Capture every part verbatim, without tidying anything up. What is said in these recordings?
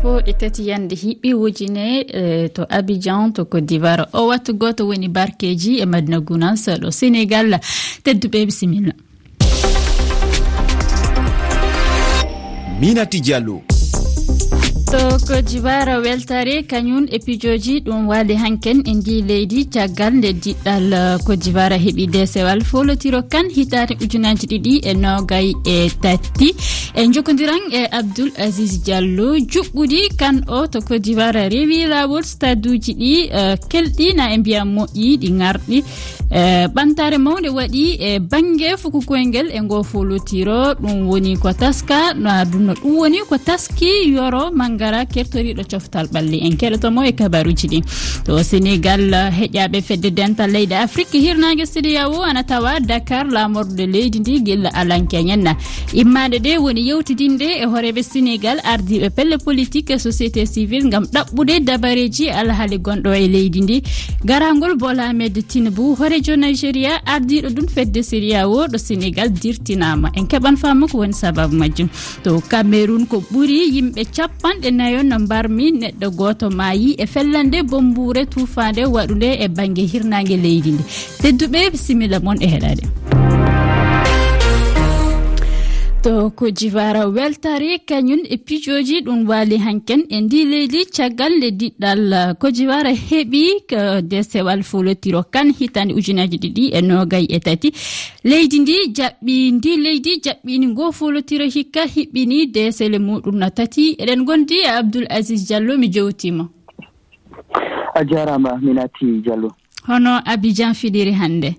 Sappo e tati yande hiɓɓi wujine, eh, to Abidjan, to Côte d'Ivoire. O wattu gooto woni barkeeji e Madina Gounass ɗo Sénégal. Tedduɓe, bisimilla. Minati Diallo. To Côte d'Ivoire, weltare kañum e pijooji ɗum waali hanken e ndi leydi caggal nde diɗɗal, eh, Côte d'Ivoire heɓi deesewal foolotiro kan hitaande ujunaaji ɗiɗi e noogay e tati. E njokondiran e Abdoul Aziz Diallo, juɓɓudi kan o to Côte d'Ivoire rewi laawol, staduuji ɗi, eh, kelɗi na e mbiya moƴƴi, ɗi ŋarɗi. Eh, ɓantaare mawnde waɗi e bannge fuku koyngel e ngo foolotiro. Ɗum woni ko taska, no aduna, ɗum woni ko taski Yoro Mangara, kertoriiɗo coftal ɓalli. En keɗoto mo e kabaruuji ɗi. To Sénégal, heƴaaɓe fedde dental leyɗe Afrik hirnaange C E D E A O ana tawa Dakar, laamorɗo leydi ndi gilla alankeñen na. Immaade ɗe woni yewtidinde e hooreeɓe Sénégal, ardiiɓe pelle politique e société civile ngam ɗaɓɓude dabareeji alhaali gonɗo e leydi ndi. Garangol Bola Ahmed Tinubu, hooreejo Nigeria, ardiiɗo ɗum fedde C E D E A O ɗo Sénégal dirtinaama. En keɓan faamu ko woni sababu majjum. To Cameroun, ko ɓuri yimɓe capanɗe nayo no mbarmi, neɗɗo gooto maayi e fellande bombuure tuufaande waɗunde e bannge hirnaange leydi ndi. Tedduɓe, bisimilla mon e heɗaade. To Côte d'Ivoire, weltare kañum e pijooji ɗum waali hanken e ndi leydi caggal nde diɗɗal, uh, Côte d'Ivoire heɓi, uh, deesewal foolotiro kan hitaande ujunaaji ɗiɗi e noogay e tati. Leydi ndi jaɓɓi, ndi leydi jaɓɓini ngo foolotiro hikka hiɓɓini deesele muɗum na tati. Eɗen ngondi e Abdoul Aziz Diallo, mi jowtiima. A jaaraama, Minati Diallo. Hono Abidjan fiɗiri hannde?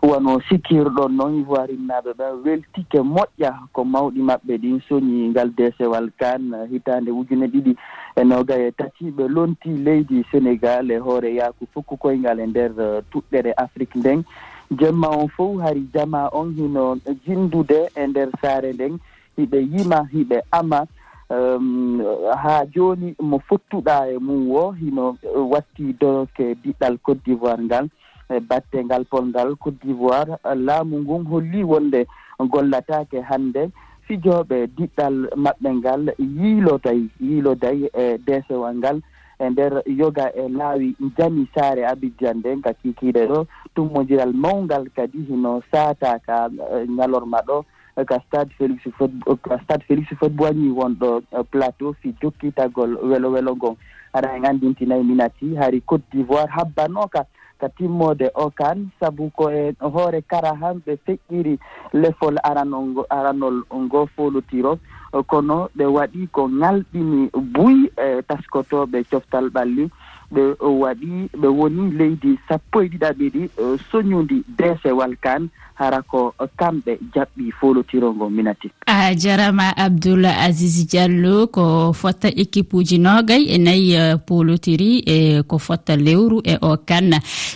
Wano sikkirɗon non, Ivoirinnaaɓe ɓen weltike moƴƴa ko mawɗi maɓɓe ɗin soñi ngal deesewal kan hitaande ujune ɗiɗi e noogay e tati. Ɓe lonti leydi Senegal e hoore yaaku fukku koyngal e nder, eh, tuɗɗere Afrik nden. Jemma on fow hari jamaa on hino jindude e nder saare nden, hiɓe yima, hiɓe ama. Em, haa jooni mo fottuɗaa e mum wo hino watti doroke diɗɗal Côte d'Ivoire ngal. E batte ngal polngal Côte d'Ivoire, laamu ngun holli wonde gollataake hannde. Fijooɓe diɗɗal maɓɓe ngal yiiloday, yiiloday e deesewal ngal e nder yoga e laawi njani saare Abidjan nden ka kiikiiɗe ɗo. Tummondiral mawngal kadi hino saataa ka, eh, ñalorma ɗo ka stade Félix Houphouët-, ka stade Félix Houphouët-Boigny wonɗo, eh, Plateau fii jokkitagol welo welo ngon. Hara en anndintinay Minati, hari Côte d'Ivoire habbanooka ka timmoode o kan, sabu ko e hoore kara han ɓe feƴƴiri lefol aranol ngo, aranol ngo foolotiro, kono ɓe waɗi ko ŋalɗini buy e taskotooɓe coftal ɓalli. Ɓe waɗi, ɓe woni leydi sappo e ɗiɗaɓidi, eh, soñundi deesewal kan, hara ko kamɓe jaɓɓi foolotiro ngo, Minati. A jarama Abdoul Aziz Diallo, ko fotta équipe uji noogay e nayi, eh, poolotiri e ko fotta lewru e o kan.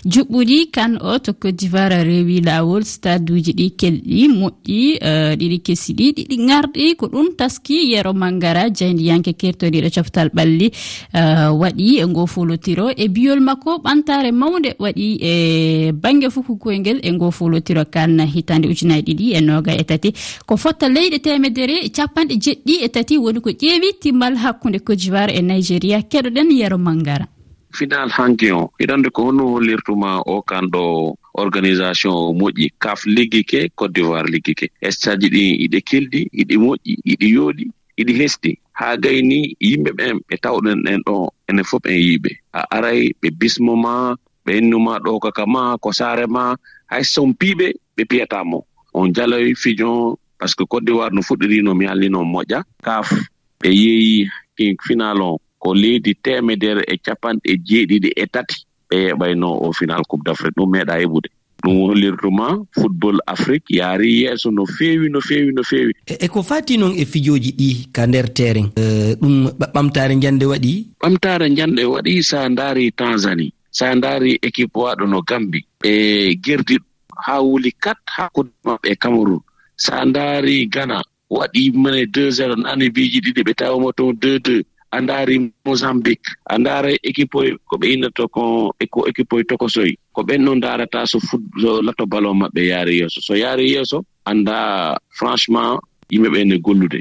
Juɓɓuɗi kan o to Côte d'Ivoire rewi laawol, stade uji ɗi kelɗi moƴƴi, eh, ɗiɗi kesi ɗi, ɗiɗi ŋarɗi, ko ɗum taski Yero Mangara, jaydiyanke kertoriɗo coftal ɓalli, eh, waɗi e ngo foolotiro e biyol makko ɓantare mawnde waɗi e bannge fuku koyngel e ngo foolotiro kan hitaande ujunaaji ɗiɗi e noogay e tati. Ko fotta leyɗe teemedere e capanɗe jeɗɗi e tati woni ko ƴeewi timmal hakkunde Côte d'Ivoire e Nigeria. Keɗoɗen Yero Mangara. Final hanki o, hiɗa anndi ko honno hollirtuma o kan ɗo organisation o moƴƴi, kaf liggike, Côte d'Ivoire liggike. Stade ɗi iɗe kelɗi, iɗi moƴƴi, iɗi yooɗi, iɗi hesɗi. Haa gayni yimɓe ɓen ɓe tawɗen ɗen ɗo, enen fof en yiiɓe. A aray ɓe bismo ma, ɓe innu ma ɗo kaka ma, ko saare ma, hay so on piiɓe, ɓe piyata mo. On jaloy fijo, parce que Côte d'Ivoire no fuɗɗiri no mi halli no moƴƴa. Kaf, ɓe yeeyi kin final on, ko leydi teemedere e capanɗe jeeɗiɗi e tati ɓe yeɓayno o final Coupe d'Afrique. Ɗum meeɗa heɓude. Ɗum hollirtuma football Afrique yaari yeeso no feewi, no feewi, no feewi. E, e ko faati noon e fijooji ɗi ka nder terrain, eh, ɗum ɓa-, ɓamtaare njande waɗi? Ɓamtaare njande waɗi, so a ndaari Tanzanie, so a ndaari équipe waaɗo no Gambie, ɓe gerdi haa wuli kat hakkunde maɓɓe e Cameroun. So a ndaari Ghana, waɗi mene deux zéro, nani biiji ɗiɗi, ɓe tawi mo toon deux deux. A ndaari Mozambique, a ndaara équipe oy, ko ɓe innata ko, e ko équipe oy tokosoy. Ko ɓen ɗon ndaarata so fut-, so lato ballon maɓɓe yaari yeeso. So yaari yeeso, annda franchement, yimɓe ɓe ne gollude.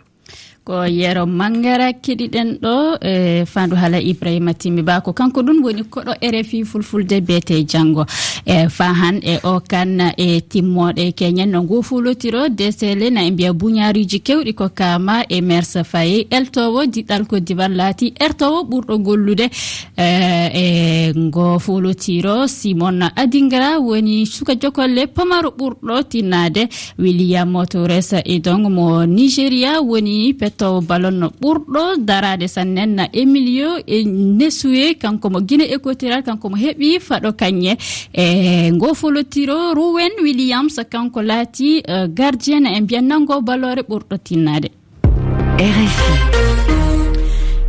Ko Yero Mangara keɗiɗen ɗo e fandu hala Ibrahima Timmi Ba, ko kanko ɗum woni koɗo R F I Fulfulde beete janngo. E fahan e o kan e timmoɗe keñen no ngu fulotiro desele na e mbiya buñaariji kewɗi ko kama e Mersa Faye, eltowo diɗal ko diwal laati ertowo ɓurɗo gollude, e, e ngo fulotiro. Simon Adingra woni suka jokolle pamaro ɓurɗo tinnade. William Torres Edong mo Nigeria woni pettowo ballon ɓurɗo darade sannen. Emilio e Nesue, kanko mo Guinée Équatoriale, kanko mo heɓi faɗo kañe. E ngo folotiro, Rowen Williams, kanko laati, eh, gardien e mbiyan nango ballore ɓurɗo tinnade. R F I.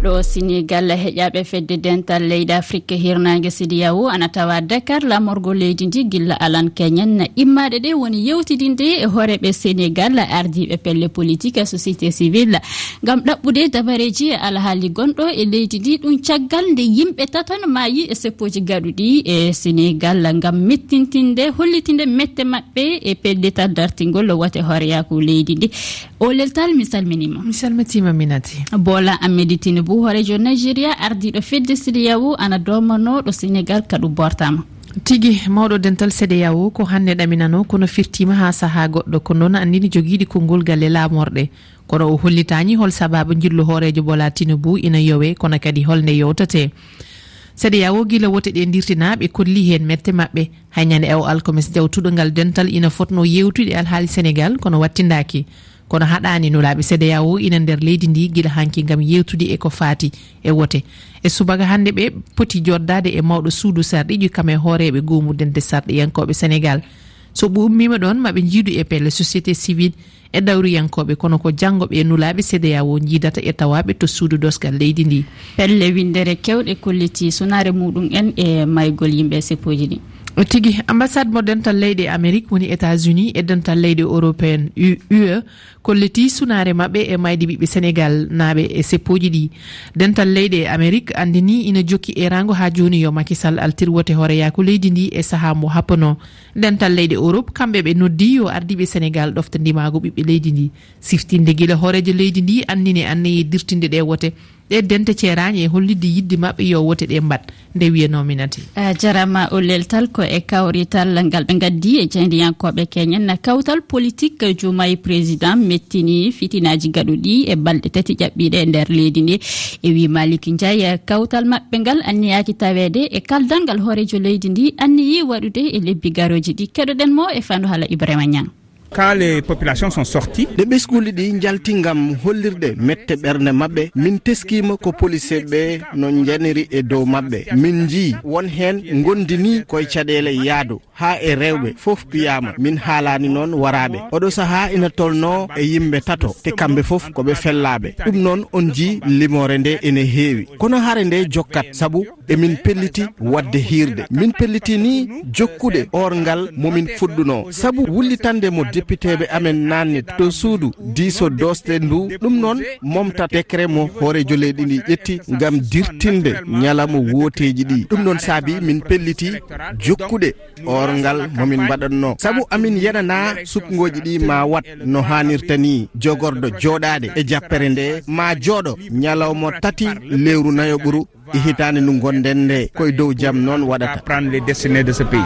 Ɗo Senegal, heƴaɓe fedde dental leydi Afrique hirnaange C D A O ana tawa Dakar, lamorgo leydi ndi gilla alan keñen. Immaaɗe ɗe woni yewtidinde e hooreeɓe Senegal, ardiiɓe pelle politique, société civile, ngam ɗaɓɓude dabareeji e alhaali gonɗo e leydi ndi. Ɗum caggal nde yimɓe taton maayi e seppooji gaɗuɗi e Senegal ngam mettintinde, hollitinde mette maɓɓe e pellital dartingol wote hooreyaaku leydi ndi. O leltal, mi salminiima. Mi salmitiima, Minati. Bola Ahmed Tinubu, hooreejo Nigeria, ardiiɗo fedde C D A O, ana doomanoo ɗo Senegal kaɗu bortaama. Tigi, mawɗo dental C D A O ko hannde ɗaminanoo, kono firtiima haa sahaa goɗɗo, ko noon anndini jogiiɗi konngol galle laamorɗe. Kono o hollitaani hol sabaabu njillu hooreejo Bola Tinubu ina yowee, kono kadi hol nde yowtatee. C D A O gila wote ɗe ndirtinaa, ɓe kolli heen mette maɓɓe. Hay ñande o alkames jawtuɗo ngal dental ina fotnoo yewtude alhaali Senegal, kono wattindaaki. Kono haɗaani, nulaaɓe C D A O ina nder leydi ndi gila hanki ngam yewtude e ko faati e wote. E subaka hannde ɓe poti joddaade e mawɗo suudu sarɗiiji kam e hooreeɓe guumudente sarɗiyankooɓe Senegal. So ɓe ummiima ɗoon, maɓe njiidu e pelle société civile e dawriyankooɓe, kono ko janngo ɓe nulaaɓe C D A O njiidata e tawaaɓe to suudu dosgal leydi ndi. Pelle winndere kewɗe kolliti sunaare muɗum en e maygol yimɓe e seppooji ɗi. Tigi, ambassade mo dental leyɗe Amérique woni États-Unis e dental leyɗe européen, U-, U E, kolliti sunaare maɓɓe e mayde ɓiɓɓe Senegal naaɓe e seppooji ɗi. Dental leyɗe Amérique anndini ina jokki eeraango haa jooni yo Macky Sall altir wote hooreyaaku leydi ndi e sahaa mo happanoo. Dental leyɗe Europe, kamɓe ɓe noddi yo ardiiɓe Senegal ɗofta ndimaagu ɓiɓɓe leydi ndi. Siftinde gila hooreejo leydi ndi annini anniyee dirtinde ɗe wote. Ɗe dente ceeraani e hollitde yiɗde maɓɓe yo wote ɗe mbaɗ, nde wiyanoo Minati. A jarama o leltal ko e kawrital ngal ɓe ngaddi e jeydiyankooɓe keñen. Kawtal politik Diomaye président mettini fitinaaji gaɗuɗi e balɗe tati ƴaɓɓiiɗe e nder leydi ndi. E wi Malick Ndiaye, kawtal maɓɓe ngal anniyaaki taweede e kaldal ngal hooreejo leydi ndi anniyi waɗude e lebbi garooji ɗi. Keɗoɗen mo e fandu hala Ibrahima Niang. Quand les populations sont sorties, ɗe ɓesnguuli ɗi njalti ngam hollirde mette ɓernde maɓɓe, min teskiima ko poliseeɓe ɓe no njaniri e dow maɓɓe. Min njii won heen ngondini koye caɗeele yaadu, haa e rewɓe fof piyaama. Min haalaani noon waraaɓe. Oɗo sahaa ina tolnoo e yimɓe tato, te kamɓe fof ko ɓe fellaaɓe. Ɗum noon on njii limoore nde ene heewi. Kono hare nde jokkat, sabu emin pelliti waɗde hiirde. Min pelliti ni jokkude oorngal mo min fuɗɗunoo. Sabu wullitande mo depiteeɓe amen naatni to suudu diiso doosde ndu, ɗum noon momta décret mo hooreejo leydi ndi ƴetti ngam dirtinde ñalawma wooteeji ɗi. Ɗum noon saabi min pelliti jokkude oorngal mo min mbaɗatnoo. Sabu amin yenanaa sukngooji ɗi ma waɗ no haanirta ni. Jogorɗo jooɗaade e jappere nde ma jooɗo ñalawma tati lewru nayoɓuru e hitaande ndu ngonɗen nde, ko e dow jam noon waɗata. Prendre les destinées de ce pays.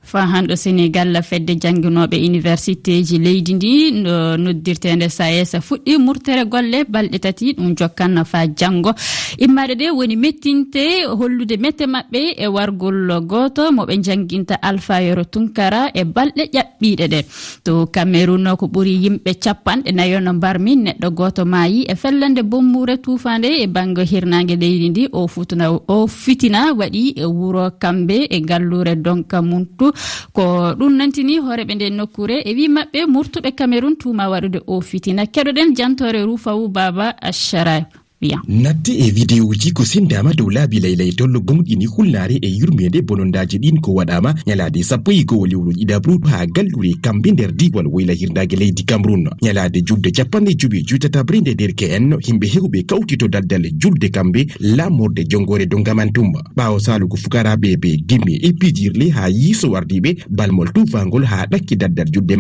Faa hannde Senegal, fedde jannginooɓe universitéji leydi ndi, no noddirteende SAES, fuɗɗi murtere golle balɗe tati, ɗum jokkan faa janngo. Immaaɗe ɗe woni mettinte hollude mette maɓɓe e wargol gooto mo ɓe njannginta, Alpha Yoro Tunkara, e balɗe ƴaɓɓiiɗe ɗe. To Cameroun, ko ɓuri yimɓe capanɗe nayo no mbarmi, neɗɗo gooto maayi e fellande bommuure tuufaande e bannge hirnaange leydi ndi. O futuna, o fitina waɗi e wuro Kambe e galluure Donkamuntu. Ko ɗum nantini hooreeɓe nden nokkuure e wii maɓɓe murtuɓe Cameroun tuuma waɗude o fitina. Keɗoɗen jantoore Rufawu Baba Ashara. Wiya. Natte e videoji ko sendaama dow laabi laylaytol gomɗini hulnaare e yurmeende bonondaaji ɗin ko waɗaama ñalaade sappo e go'o lewru ɗiɗaɓru haa galluure Kambe nder diiwal woyla hirnaange leydi Cameroun. Ñalaade julde capanɗe jowi e jowi tataɓre nde derke'en yimɓe heewɓe kawti to daldal julde Kambe laamorde jonngoore Donkamantum. Ɓaawo saalugo fukaraaɓe ɓe gimi e pijirle haa yeeso ardiiɓe, balmol tuufaangol haa ɗakki daldal julde